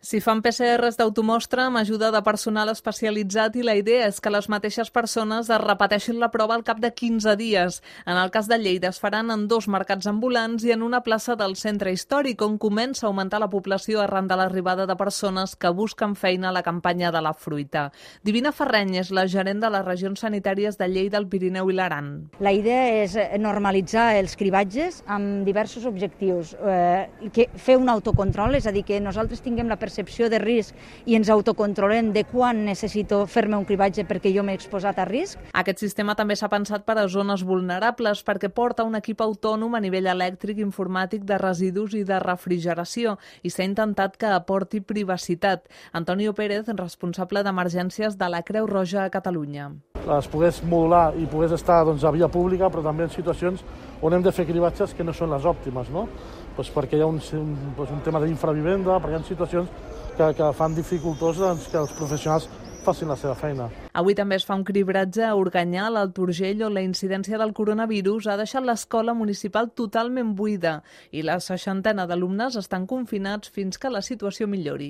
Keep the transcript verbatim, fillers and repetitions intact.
Si fan P C Rs d'automostra amb ajuda de personal especialitzat i la idea és que les mateixes persones es repeteixin la prova al cap de quinze dies. En el cas de Lleida es faran en dos mercats ambulants i en una plaça del centre històric on comença a augmentar la població arran de l'arribada de persones que busquen feina a la campanya de la fruita. Divina Ferreny és la gerent de les regions sanitàries de Lleida, el Pirineu i l'Aran. La idea és normalitzar els cribatges amb diversos objectius. Eh, que fer un autocontrol, és a dir, que nosaltres tinguem la percepció de risc i ens autocontrolem de quan necessito fer-me un cribatge perquè jo m'he exposat a risc. Aquest sistema també s'ha pensat per a zones vulnerables perquè porta un equip autònom a nivell elèctric, informàtic, de residus i de refrigeració i s'ha intentat que aporti privacitat. Antonio Pérez, responsable d'emergències de la Creu Roja a Catalunya. Es pogués modular i pogués estar doncs, a via pública, però també en situacions on hem de fer cribatges que no són les òptimes, no? Pues perquè hi ha un, un, pues un tema d'infravivenda, perquè hi ha situacions que, que fan dificultós doncs, que els professionals facin la seva feina. Avui també es fa un cribratge a Organyà, a l'Alt Urgell, on la incidència del coronavirus ha deixat l'escola municipal totalment buida i la seixantena d'alumnes estan confinats fins que la situació millori.